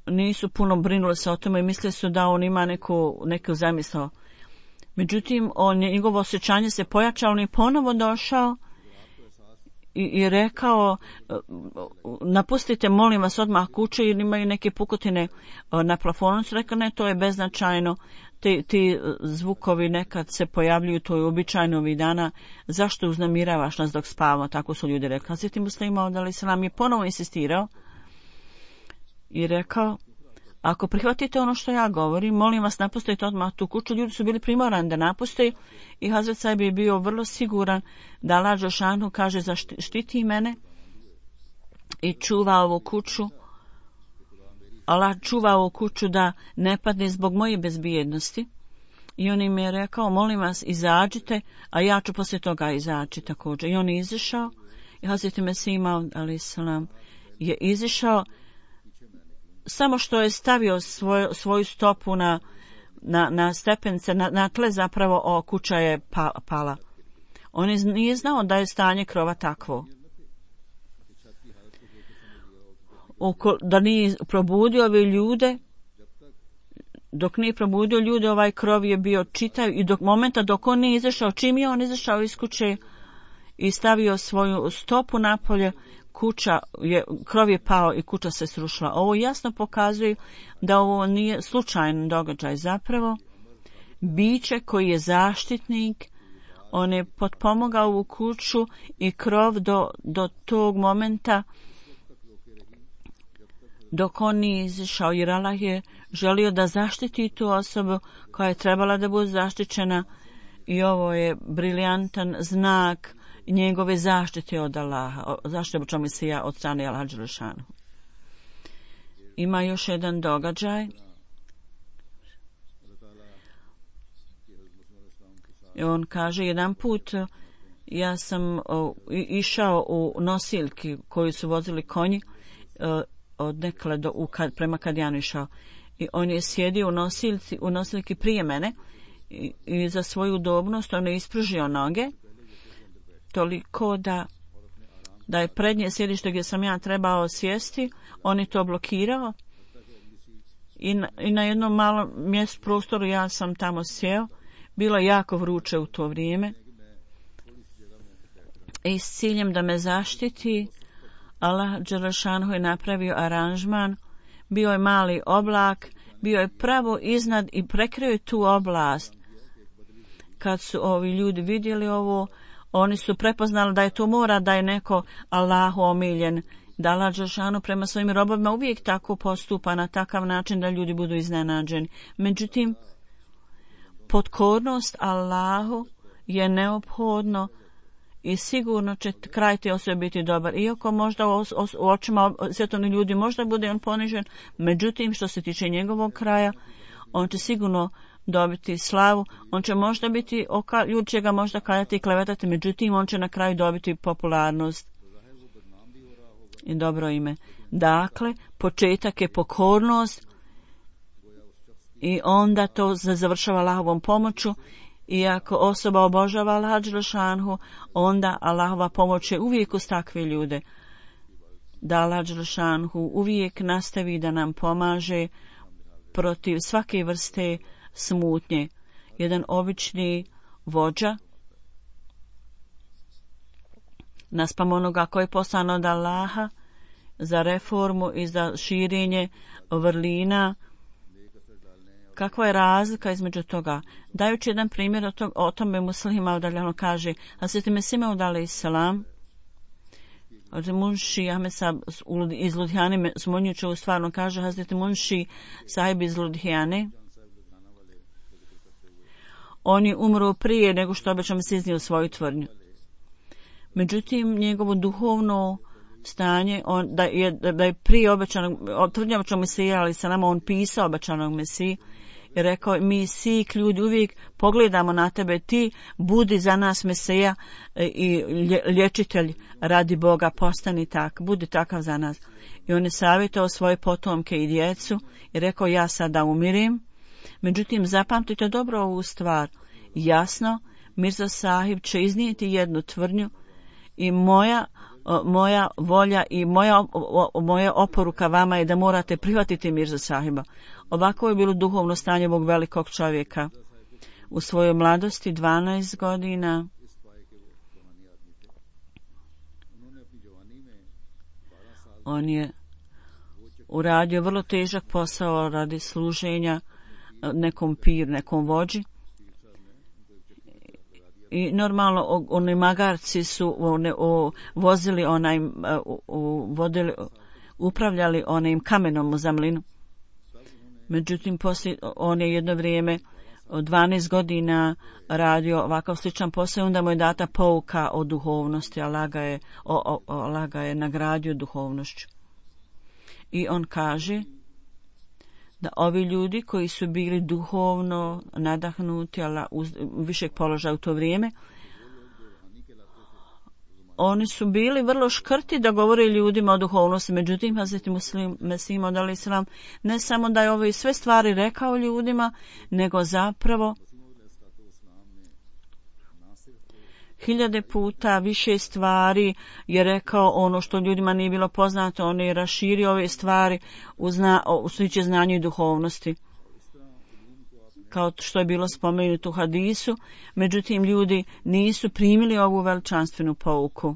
nisu puno brinuli se o tome i mislili su da on ima neku zamisao. Međutim, njegovo osjećanje se pojačalo, on je ponovo došao i rekao napustite molim vas odmah kuće jer imaju neke pukotine na plafonu. Su rekao ne, to je beznačajno, ti zvukovi nekad se pojavljuju, to je uobičajeno ovih dana, zašto uznemiravaš nas dok spavamo, tako su ljudi rekli. Hazreti Muslima alejhi selam je ponovo insistirao i rekao ako prihvatite ono što ja govorim, molim vas napustite odmah tu kuću. Ljudi su bili primorani da napuste i Hazret sahib je bio vrlo siguran da Allah dželešanu kaže zaštiti mene i čuva ovu kuću. Allah čuva ovu kuću da ne padne zbog moje bezbjednosti. I on im je rekao molim vas izađite, a ja ću poslije toga izaći također. I on je izišao i Hazret Mesija alejhi selam je izišao samo što je stavio svoju stopu na stepence, na tle zapravo kuća je pala. On nije znao da je stanje krova takvo. Da nije probudio ove ljude, dok nije probudio ljude, ovaj krov je bio čitav i dok momenta dok on nije izašao, čim je on izašao iz kuće i stavio svoju stopu napolje, krov je pao i kuća se srušila. Ovo jasno pokazuje da ovo nije slučajan događaj. Zapravo, biće koji je zaštitnik, on je potpomogao ovu kuću i krov do tog momenta dok on nije izašao, jer Allah je želio da zaštiti tu osobu koja je trebala da bude zaštićena i ovo je briljantan znak njegove zaštite od Allaha, zaštite obočnog Mesija od strane Allaha Đelešanu. Ima još jedan događaj. I on kaže, jedan put ja sam išao u nosiljki koju su vozili konji od nekle prema Kadijanu išao. I on je sjedio u nosiljki prije mene i za svoju udobnost on je ispružio noge toliko da je prednje sjedište gdje sam ja trebao sjesti, on je to blokirao i na jednom malom prostoru ja sam tamo sjeo. Bilo je jako vruće u to vrijeme i s ciljem da me zaštiti Allah Đelešanu je napravio aranžman. Bio je mali oblak, bio je pravo iznad i prekrio je tu oblast. Kad su ovi ljudi vidjeli ovo, oni su prepoznali da je to mora, da je neko Allahu omiljen, da Allah Đelešanu prema svojim robovima uvijek tako postupa na takav način da ljudi budu iznenađeni. Međutim, potkornost Allahu je neophodno i sigurno će kraj te osobe biti dobar. Iako možda u očima svjetovnih ljudi možda bude on ponižen, međutim što se tiče njegovog kraja, on će sigurno dobiti slavu, on će možda biti, ljudi će ga možda kajati i klevetati, međutim on će na kraju dobiti popularnost i dobro ime. Dakle, početak je pokornost i onda to završava Allahovom pomoću. I ako osoba obožava Allaha Đelešanu, onda Allahova pomoć je uvijek uz takve ljude. Da Allah Đelešanu uvijek nastavi da nam pomaže protiv svake vrste smutnje. Jedan obični vođa, naspram onoga koji je poslan od Allaha za reformu i za širenje vrlina, kakva je razlika između toga? Dajući jedan primjer o tome Muslima udaljano kaže, Hazreti Mesih Maud alejselam, Munši Ahmed iz Ludhijane, smonjući u stvarno kaže, Hazreti Munši sahib iz Ludhijane, on je umro prije nego što obećam se iznio svoju tvrdnju. Međutim, njegovo duhovno stanje, da je prije obećanog, tvrdnja obećanog Mesija, ali sa nama on pisao obećanog Mesiji, i rekao, mi svi ljudi uvijek pogledamo na tebe, ti budi za nas Mesija i liječitelj radi Boga, postani tak, budi takav za nas. I on je savjetao svoje potomke i djecu i rekao, ja sada umirim. Međutim, zapamtite dobro ovu stvar. Jasno, Mirza Sahib će iznijeti jednu tvrdnju i moja volja i moja oporuka vama je da morate prihvatiti Mirza Sahiba. Ovako je bilo duhovno stanje ovog velikog čovjeka. U svojoj mladosti, 12 godina, on je uradio vrlo težak posao radi služenja nekom piru, nekom vođi. I normalno oni magarci su vozili upravljali onim kamenom u Zamlinu. Međutim, poslije on je jedno vrijeme od 12 radio ovakav sličan posao, onda mu je data pouka o duhovnosti, Allah ga je nagradio duhovnošću. I on kaže da ovi ljudi koji su bili duhovno nadahnuti, ali uz višeg položaja u to vrijeme, oni su bili vrlo škrti da govore ljudima o duhovnosti. Međutim, Hazreti Mesih Maud alejselam ne samo da je ove sve stvari rekao ljudima, nego zapravo 1000 puta više stvari je rekao ono što ljudima nije bilo poznato. On je raširio ove stvari u sliče znanju i duhovnosti. kao što je bilo spomenuto u hadisu, međutim ljudi nisu primili ovu veličanstvenu pouku.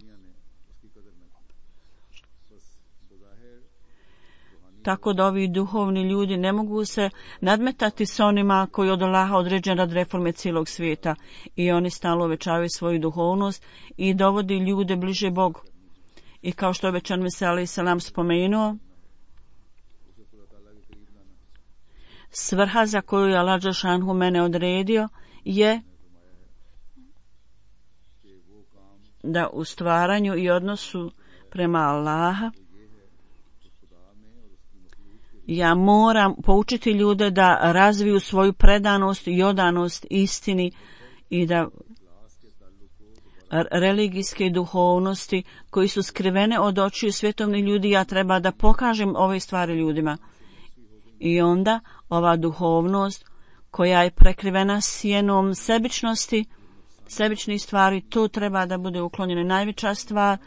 Tako da ovi duhovni ljudi ne mogu se nadmetati s onima koji od Allaha određen rad reforme cijelog svijeta i oni stalno uvećavaju svoju duhovnost i dovodi ljude bliže Bogu. I kao što je obećan Mesija alejhi selam spomenuo, svrha za koju je Allah dželešanu mene odredio je da u stvaranju i odnosu prema Allaha ja moram poučiti ljude da razviju svoju predanost i odanost istini i da religijske duhovnosti koji su skrivene od očiju svjetovnih ljudi, ja treba da pokažem ove stvari ljudima. I onda ova duhovnost koja je prekrivena sjenom sebičnosti, sebičnih stvari, to treba da bude uklonjeno. Najveća stvar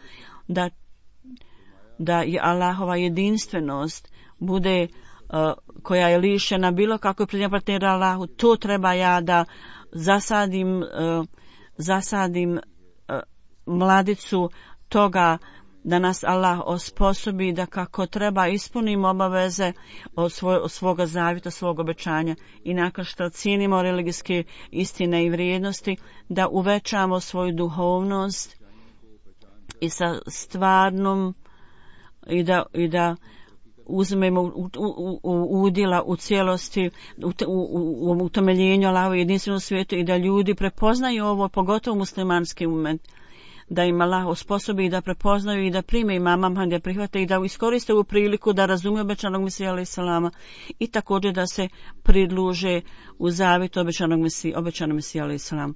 da je Allahova jedinstvenost bude koja je lišena bilo kako je prednja partnera Allahu, to treba ja da zasadim mladicu toga da nas Allah osposobi da kako treba ispunimo obaveze od svoga zavjeta, svog obećanja i nakon što cijenimo religijske istine i vrijednosti, da uvećamo svoju duhovnost i sa stvarnom i da uzmemo udjela u cijelosti u utemeljenju Allahove jedinstvenom svijetu i da ljudi prepoznaju ovo, pogotovo muslimanski umet, da im Allah osposobi i da prepoznaju i da prime imama Mahmeda, da prihvate i da iskoriste ovu priliku da razumiju obećanog Mesija alejhi selama i također da se pridruže u zavjet obećanog Mesija alejhi selam.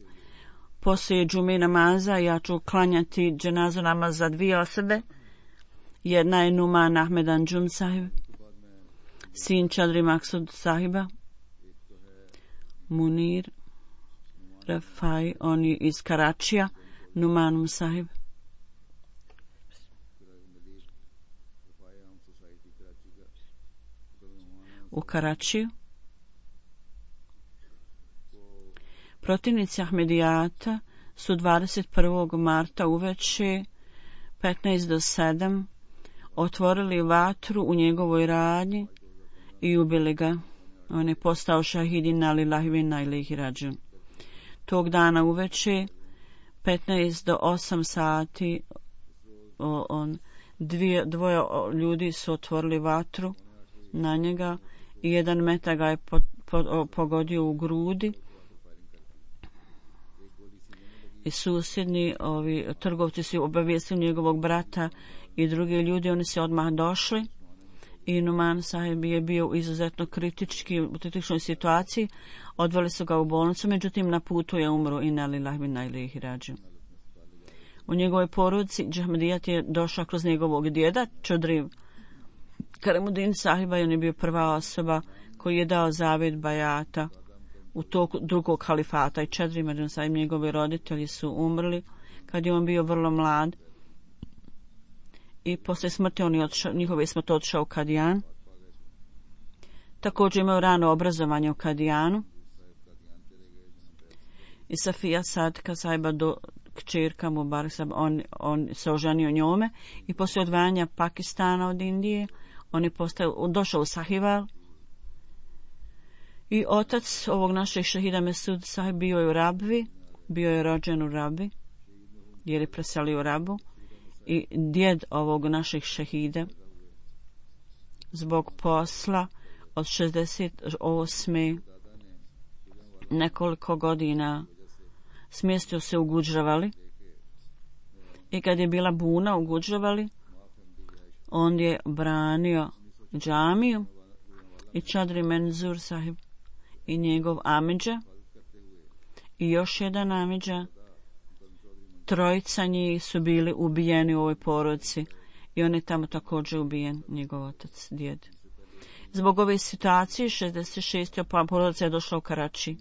Poslije džume namaza ja ću klanjati dženazu namaz za dvije osobe. Jedna je Numan Ahmed Anjum sahib, sin Čadri Maksud sahiba, Munir Rafai, on je iz Karačija, Numan sahib. U Karačiju. Protivnici Ahmedijata su 21. marta uveče 15 do 7 otvorili vatru u njegovoj radnji i ubili ga. On je postao šahidin na lillahi wa inna ilaihi rađun. Tog dana uveče 15 do 8 sati dvoje ljudi su otvorili vatru na njega i jedan metak ga je pogodio u grudi. I susjedni trgovci su obavijestili njegovog brata i drugi ljudi, oni se odmah došli i Numan sahib je bio izuzetno kritičnoj situaciji, odveli su ga u bolnicu, međutim na putu je umro inna lillahi wa inna ilaihi rađun. U njegovoj porodici Džahmedijat je došao kroz njegovog djeda Čodri Karemuddin sahiba i on je bio prva osoba koji je dao zavjet bajata u toku drugog halifata i Čadri Mađan sahib, njegovi roditelji su umrli kad je on bio vrlo mlad i poslije smrti njihove smrti otišao u Kadijan. Također imao rano obrazovanje u Kadijanu i Safija Sadka sahiba kćerka Mubarak sahib, on se oženio njome i poslije odvajanja Pakistana od Indije on je došao u Sahival i otac ovog našeg šehida Mesud sahib bio je u Rabvi, bio je rođen u Rabvi jer je preselio u Rabu i djed ovog našeg šehida zbog posla od 68. nekoliko godina smjestio se u Gudžravali i kad je bila buna u Gudžravali on je branio džamiju i Čadri Menzur sahib i njegov amidža i još jedan amidža, trojica njih su bili ubijeni u ovoj porodici i on je tamo također ubijen, njegov otac, djed. Zbog ove situacije 66. porodica je došla u Karači.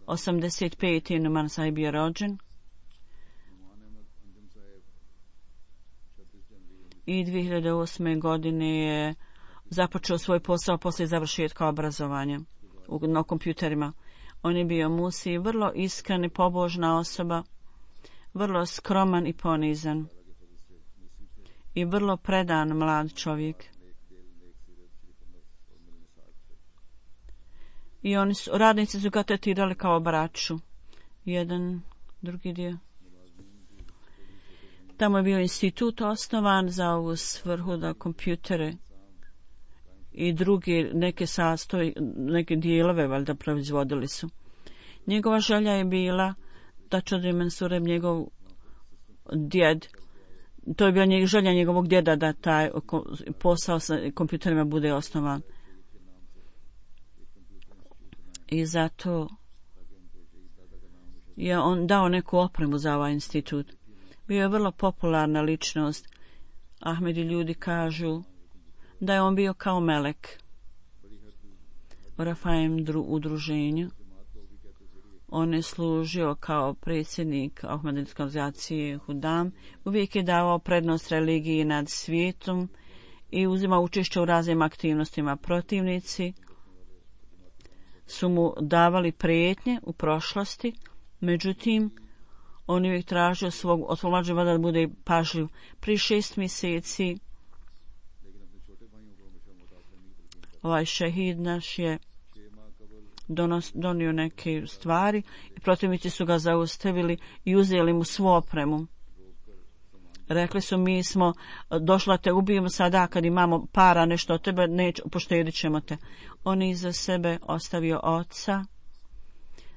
85. Numan sahib je rođen i 2008. godine je započeo svoj posao poslije završetka obrazovanja. na kompjuterima. On je bio Musi, vrlo iskren i pobožna osoba, vrlo skroman i ponizan i vrlo predan mlad čovjek. I radnici su ga tretirali kao braću. Jedan, drugi dio. Tamo je bio institut osnovan za ovu svrhu da kompjutere i drugi neke dijelove valjda proizvodili su. Njegova želja je bila da Čodri Mansureb, njegov djed, to je bila želja njegovog djeda da taj posao sa kompjuterima bude osnovan. I zato je on dao neku opremu za ovaj institut. Bio je vrlo popularna ličnost. Ahmedi ljudi kažu da je on bio kao melek u Rafajem udruženju. On je služio kao predsjednik Ahmadijske organizacije Hudam. Uvijek je davao prednost religiji nad svijetom i uzimao učešće u raznim aktivnostima. Protivnici su mu davali prijetnje u prošlosti, međutim, on je uvijek tražio od svog mlađeg da bude pažljiv. Prije 6 mjeseci ovaj šehid naš je donio neke stvari i protivnici su ga zaustavili i uzeli mu svu opremu. Rekli su, mi smo došli da te ubijemo sada kad imamo para, nešto od tebe, poštedit ćemo te. On je iza sebe ostavio oca,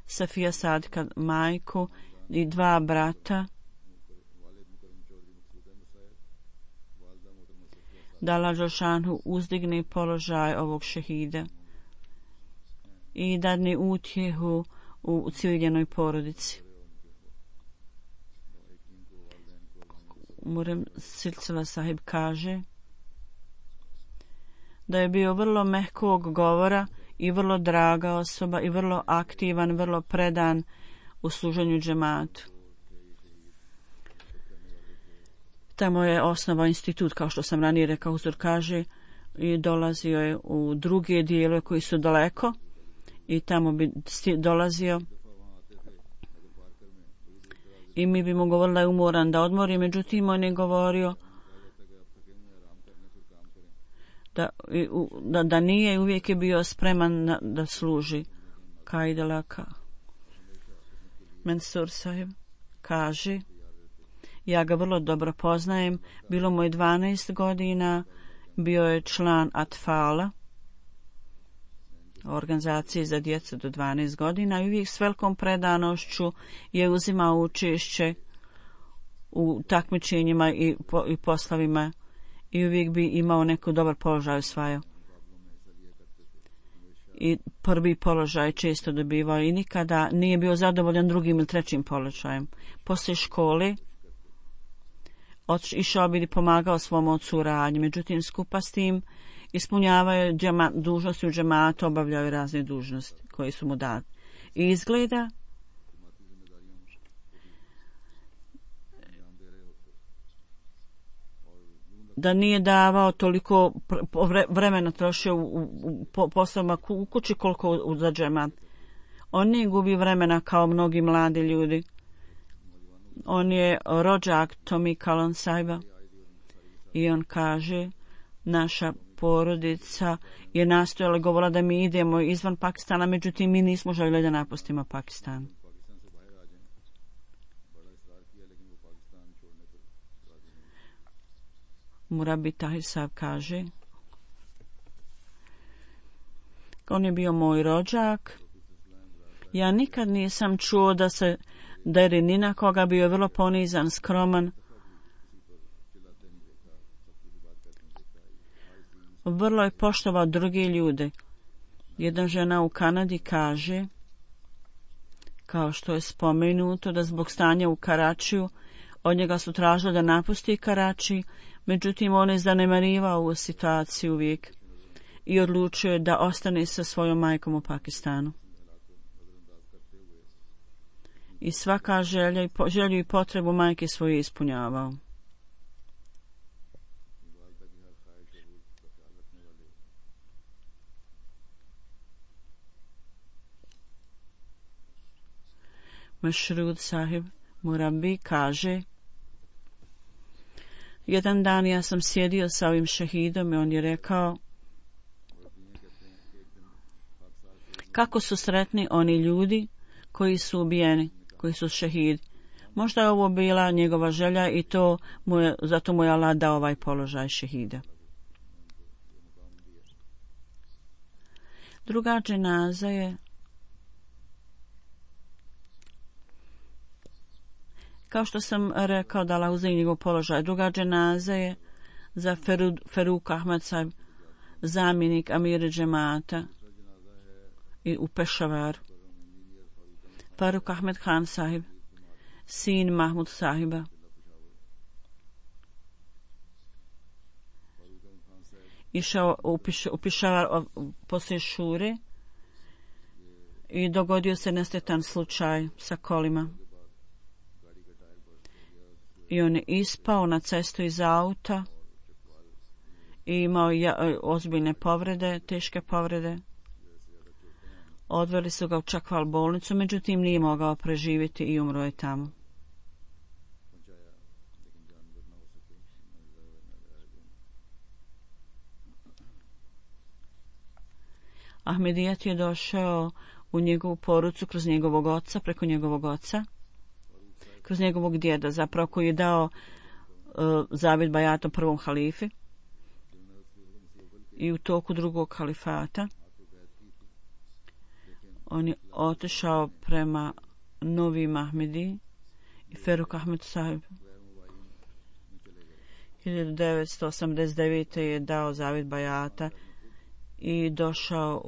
Safija Sadika majku i 2 brata. Da Allah Đelšanhu uzdigne položaj ovog šehida i dadne utjehu u civiljenoj porodici. Murem Silsila sahib kaže da je bio vrlo mehkog govora i vrlo draga osoba i vrlo aktivan, vrlo predan u služenju džematu. Tamo je osnovao institut, kao što sam ranije rekao, Huzur kaže, i dolazio je u druge dijelove koji su daleko i tamo bi dolazio i mi bi mu govorili da je umoran, da odmori, međutim on je govorio da nije i uvijek je bio spreman da služi. Kaidalaka Mansur sahib kaže, ja ga vrlo dobro poznajem, bilo mu je 12 godina, bio je član Atfala, organizacije za djecu do 12 godina i uvijek s velikom predanošću je uzimao učešće u takmičenjima i poslovima i uvijek bi imao neko dobar položaj osvajao. I prvi položaj često dobivao i nikada nije bio zadovoljan drugim ili trećim položajem. Poslije škole išao bi i pomagao svom ocu u radnji, međutim skupa s tim ispunjavaju dužnosti u džematu, obavljaju razne dužnosti koje su mu date. I izgleda da nije davao toliko vremena trošio u poslovima u kući koliko za džemat. On nije gubi vremena kao mnogi mladi ljudi. On je rođak Tomi Kalon Saiba i on kaže, naša porodica je nastojala, govorila da mi idemo izvan Pakistana, međutim mi nismo željeli da napustimo Pakistan. Murabi Tahir Saab kaže, on je bio moj rođak. Ja nikad nisam čuo da se deri ni na koga, bio je vrlo ponizan, skroman. Vrlo je poštovao druge ljude. Jedna žena u Kanadi kaže, kao što je spomenuto, da zbog stanja u Karačiju od njega su tražili da napusti Karači, međutim on je zanemarivao ovu situaciju uvijek i odlučio je da ostane sa svojom majkom u Pakistanu. I svaka želju i potrebu majke svoje ispunjavao. Mešrud sahib Murabi kaže: jedan dan ja sam sjedio sa ovim šehidom i on je rekao: kako su sretni oni ljudi koji su ubijeni, koji su šehidi. Možda je ovo bila njegova želja i zato mu je Allah dao ovaj položaj šehida. Druga dženaza je kao što sam rekao da Allah uzeo njegov položaj. Druga dženaza je za Faruk Ahmad sahib, zamjenik amira džemata u Pešavaru. Faruk Ahmed Khan sahib, sin Mahmud sahiba. Išao u Pešavar poslije šure i dogodio se nesretan slučaj sa kolima. I on je ispao na cestu iz auta i imao ozbiljne povrede, teške povrede. Odveli su ga u Čakval bolnicu, međutim nije mogao preživjeti i umro je tamo. Ahmedijat je došao u njegovu porucu kroz njegovog oca, preko njegovog oca, kroz njegovog djeda, zapravo koji je dao zavjet bajatom prvom halifi i u toku drugog halifata. On je otišao prema Novim Ahmedi i Faruk Ahmed sahib 1989. je dao zavjet bajata i došao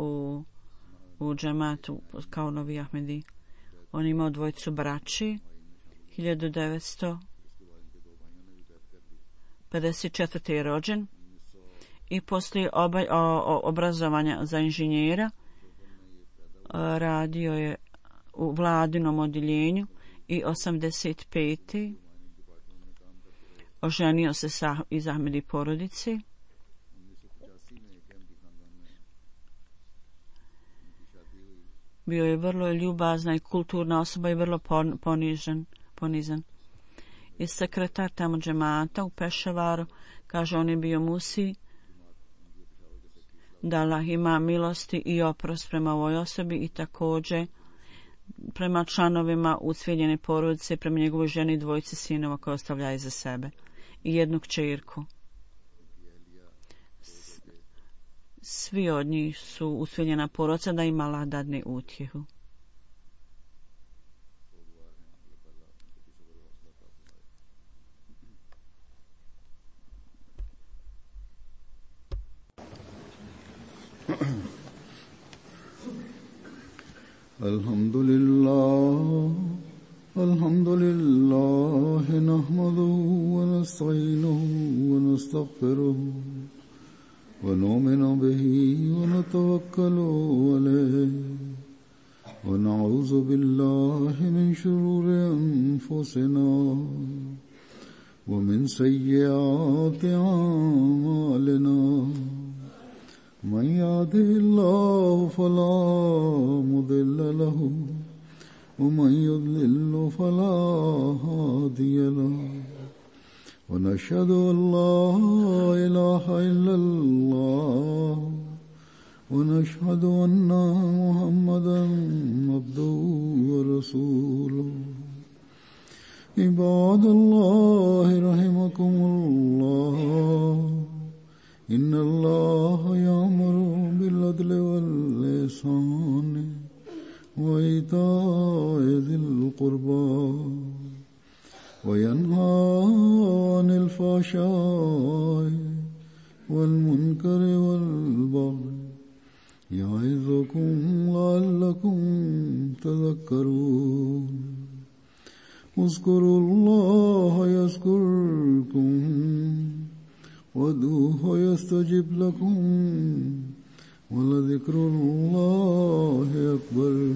u džematu kao Novi Ahmedi. On je imao dvojicu braći. 1954. je rođen i poslije obrazovanja za inženjera radio je u vladinom odjeljenju i 85. oženio se iz Ahmedi porodici. Bio je vrlo ljubazna i kulturna osoba i vrlo ponizan. I sekretar tamo džemata u Pešavaru kaže on je bio musi da Allah ima milosti i oprost prema ovoj osobi i također prema članovima ucvijeljene porodice, prema njegovoj ženi i dvojici sinova koje ostavlja iza sebe i jednu kćerku. Svi od njih su ucvijeljena porodica da im Allah dadne utjehu. Alhamdulillah nahmaduhu wa nasta'inuhu wa nastaghfiruhu wa nu'minu bihi wa natawakkalu alayhi wa na'udhu billahi min shururi anfusina wa min sayyiati a'malina. من يهده الله فلا مضل له ومن يضلل فلا هادي له ونشهد أن لا إله إلا الله ونشهد أن محمدا عبده ورسوله. عباد الله رحمكم الله إن الله يأمر بالعدل والإحسان وإيتاء ذي القربى وينهى عن الفحشاء والمنكر والبغي يعظكم لعلكم تذكرون. اذكروا الله يذكركم وادعوه يستجب لكم ولذكر الله أكبر.